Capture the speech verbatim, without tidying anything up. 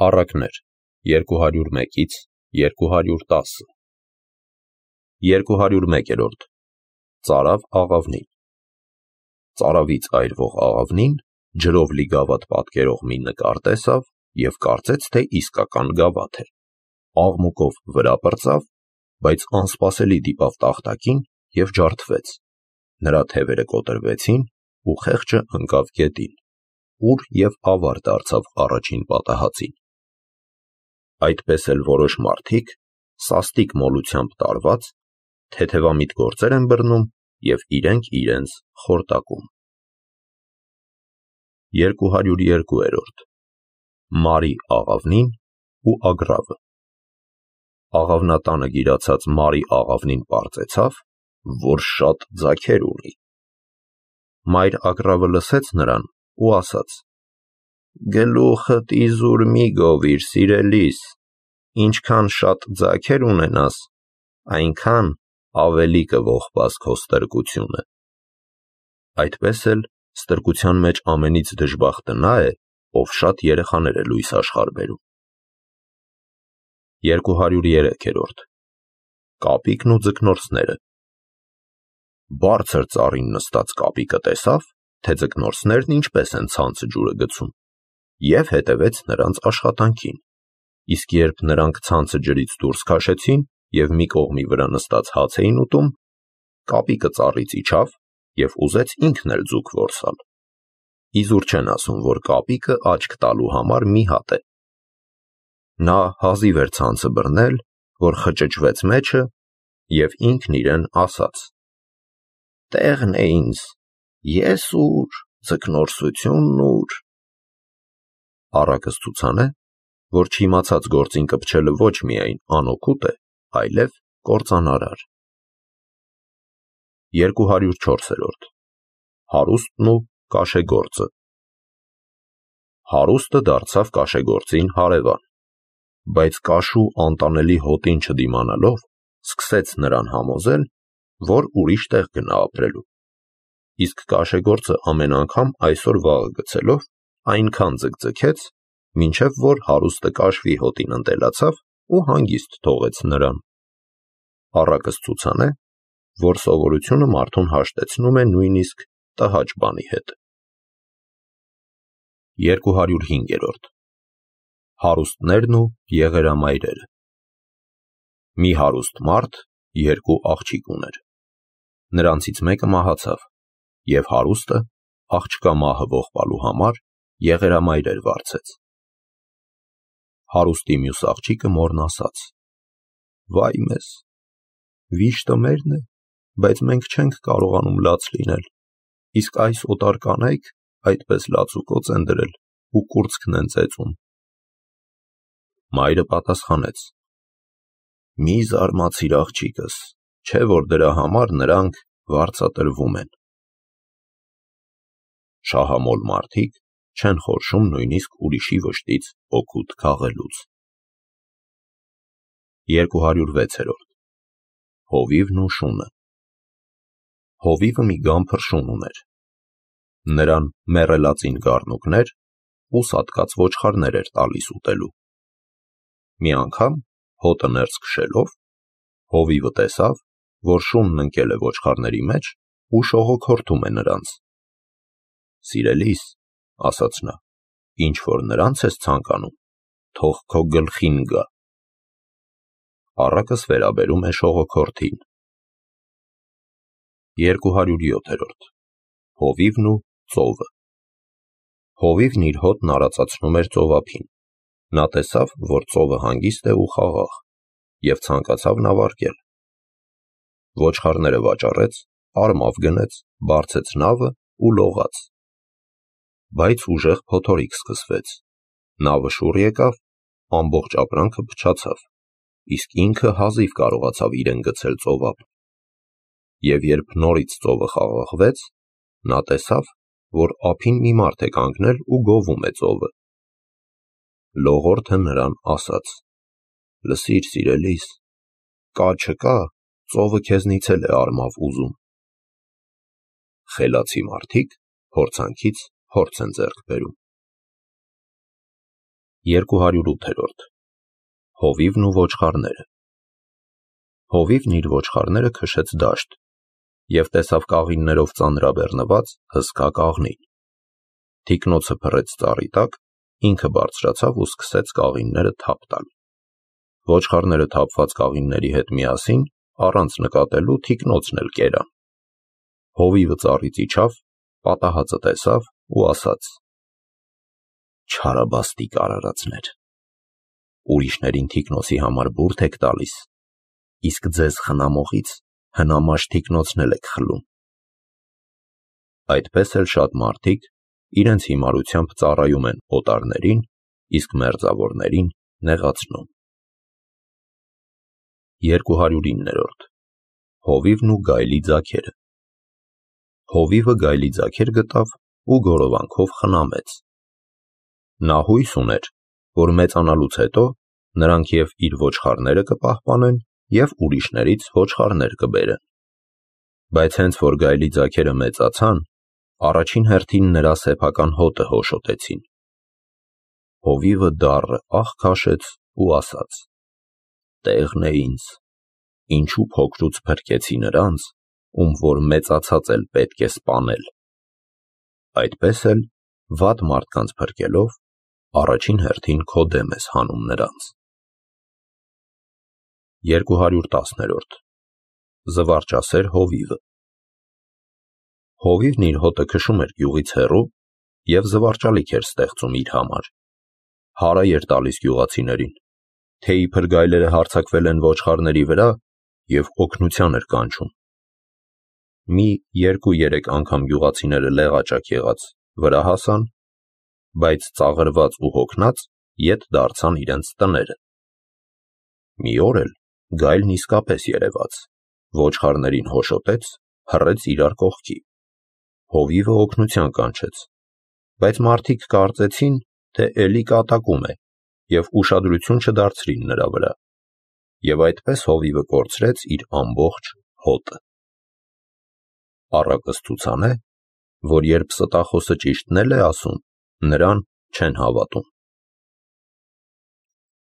Առակներ երկու հարյուր մեկից երկու հարյուր տասը երկու հարյուր մեկերորդ Ծարավ աղավնին Ծարավից այրվող աղավնին ջրով լի գավաթ պատկերող մի նկար տեսավ և կարծեց, թե իսկական գավաթ է, աղմուկով վրա պրծավ, բայց անսպասելի դիպավ տախտակին և ջարդվեց, նրա թևերը կոտրվեցին ու խեղճը ընկավ գետին, ուր և ավար դարձավ առաջին պատահածին։ Այդպես էլ որոշ մարդիկ, սաստիկ մոլությամբ տարված, թեթևամիտ գործեր են բռնում և իրենք իրենց խորտակում։ Երկու հարյուր երկուերորդ Մարի աղավնին ու ագռավը Աղավնատանը գիրացած Մարի աղավնին պարծեցավ, որ շատ ձագեր ունի։ Մայր ագռավը լսեց նրան ու ասաց. «Գլուխդ իզուր մի գովիր, սիրելիս, ինչքան շատ ձագեր ունենաս, այնքան ավելի կողպաս քո ստրկությունը»։ Այդպես էլ ստրկության մեջ ամենից դժբախտը նա է, ով շատ երեխաներ է լույս աշխարհ բերում։ Երկու հարյուր երեքերորդ Կապիկն ու ձկնորսները Բարձր ծառին նստած կապիկը տեսավ, թե ձկնորսներն ինչպես են ցանցը ջուրը գցում, և հետևեց նրանց աշխատանքին, իսկ երբ նրանք ցանցը ջրից դուրս քաշեցին և մի կողմի վրա նստած հաց էին ուտում, կապիկը ծառից իջավ և ուզեց ինքն էլ ձուկ որսալ։ Իզուր չեն ասում, որ կապիկը աչք տալու համար մի հատ է։ Նա հազիվ էր ցանցը բռնել, որ խճճվեց մեջը և ինքն իրեն ասաց. «Տեղն է ինձ, ես ուր, ձկնորսությունն ուր»։ Առակս ցուցան է, որ չիմացած գործին կպչելը ոչ միայն անօգուտ է, այլև կործանարար։ Երկու հարյուր չորսերորդ Հարուստն ու կաշեգործը Հարուստը դարձավ կաշեգործին հարևան, բայց կաշու անտանելի հոտին չդիմանալով, սկսեց նրան համոզել, որ ուրիշ տեղ գնա ապրելու, իսկ կաշեգործը ամեն անգամ այսօր-վաղը գցելով, այնքան ձգձգեց, մինչև որ հարուստը կաշվի հոտին ընտելացավ ու հանգիստ թողեց նրան։ Առակս ցուցան է, որ սովորությունը մարդուն հաշտեցնում է նույնիսկ տհաճ բանի հետ։ Երկու հարյուր հինգերորդ Հարուստներն ու եղերամայրերը Մի հարուստ մարդ երկու աղջիկ ուներ։ Նրանցից մեկը մահացավ, և հարուստը, աղջկա մահը ողբալու համար, եղերամայրեր վարձեց։ Հարուստի մյուս աղջիկը մորն ասաց. «Վայ մեզ, վիշտը մերն է, բայց մենք չենք կարողանում լաց լինել, իսկ այս օտար կանայք այդպես լաց ու կոծ են դրել ու կուրծքն են ծեծում»։ Մայրը պատասխանեց. «Մի զարմացիր, աղջիկս, չէ որ դրա համար նրանք վարձատրվում են»։ Շահամոլ մարդիկ չեն խորշում նույնիսկ ուրիշի վշտից օգուտ քաղելուց։ Երկու հարյուր վեցերորդ Հովիվն ու շունը Հովիվը մի գամփր շուն ուներ։ Նրան մեռելածին գառնուկներ ու սատկած ոչխարներ էր տալիս ուտելու։ Մի անգամ, հոտը ներս քշելով, հովիվը տեսավ, որ շունն ընկել է ոչխարների մեջ ու շողոքորթում է նրանց։ «Սիրելիս», ասաց նա, «ինչ որ նրանց ես ցանկանում, թող քո գլխին գա»։ Առակս վերաբերում է շողոքորթին։ Երկու հարյուր յոթերորդ Հովիվն ու ծովը Հովիվն իր հոտն արածացնում էր ծովափին։ Նա տեսավ, որ ծովը հանգիստ է ու խաղաղ, և ցանկացավ նավարկել։ Ոչխարները վաճառեց, արմավ գնեց, բարձեց նավը ու լողաց։ Բայց ուժեղ փոթորիկ սկսվեց, նավը շուռ եկավ, ամբողջ ապրանքը փչացավ, իսկ ինքը հազիվ կարողացավ իրեն գցել ծովափ։ Եվ երբ նորից ծովը խաղաղվեց, նա տեսավ, որ ափին մի մարդ է կանգնել ու գովում է ծովը։ Լողորդը նրան ասաց. «Լսիր, սիրելիս, կա չկա, ծովը քեզնից էլ է արմավ ուզում»։ Խելացի մարդիկ փորձանքից փորձ են ձեռք բերում։ երկու հարյուր ութերորդ Հովիվն ու ոչխարները Հովիվն իր ոչխարները քշեց դաշտ և տեսավ կաղիններով ծանրաբեռնված հսկա կաղնին։ Թիկնոցը փռեց ծառի տակ, ինքը բարձրացավ ու սկսեց կաղինները թափ տալ։ Ոչխարները թափված կաղինների հետ միասին, առանց նկատելու, թիկնոցն էլ կերան։ Հովիվը ծառից իջավ, պատահածը տեսավ ու ասաց. «Չարաբաստիկ արարածներ, ուրիշներին թիկնոցի համար բուրդ եք տալիս, իսկ ձեզ խնամողից հնամաշ թիկնոցն էլ եք խլում»։ Այդպես էլ շատ մարդիկ իրենց հիմարությամբ ծառայում են օտարներին, իսկ մերձավորներին նեղացնում։ երկու հարյուր իններորդ Հովիվն ու գայլի ձագերը Հովիվը գայլի ձագեր գտավ ու գորովանքով խնամեց։ Նա հույս ուներ, որ մեծանալուց հետո նրանք և իր ոչխարները կպահպանեն և ուրիշներից ոչխարներ կբերեն։ Բայց հենց որ գայլի ձագերը մեծացան, առաջին հերթին նրա սեփական հոտը հոշոտեցին։ Հովիվը դառը ահ քաշեց ու ասաց. «Տեղն է ինձ, ինչու փոքրուց փրկեցի նրանց, ում որ մեծացած էլ պետք է սպանել»։ Այդպես էլ, վատ մարդկանց փրկելով, առաջին հերթին քո դեմ ես հանում նրանց։ երկու հարյուր տասներորդ Զվարճասեր Հովիվը Հովիվն իր հոտը քշում էր գյուղից հեռու և զվարճալիք էր ստեղծում իր համար։ Հարայ էր տալիս գյուղացիներին, թե իբր գայլերը հարձակվել են ոչխարների վրա, և օգնության էր կանչում։ Մի երկու-երեք անգամ գյուղացիները լեղաճակ եղած վրա հասան, բայց ծաղրված ու հոգնած ետ դարձան իրենց տները։ Մի օր էլ գայլն իսկապես երևաց, ոչխարներին հոշոտեց, հռեց իրար կողքի։ Հովիվը օգնության կանչեց, բայց մարդիկ կարծեցին, թե էլի կատակում է, և ուշադրություն չդարձրին նրա վրա, և այդպես Հովիվը կորցրեց իր ամբողջ հոտը։ Առակը ցուցանե, որ երբ ստախոսը ճիշտն էլ է ասում, նրան չեն հավատում։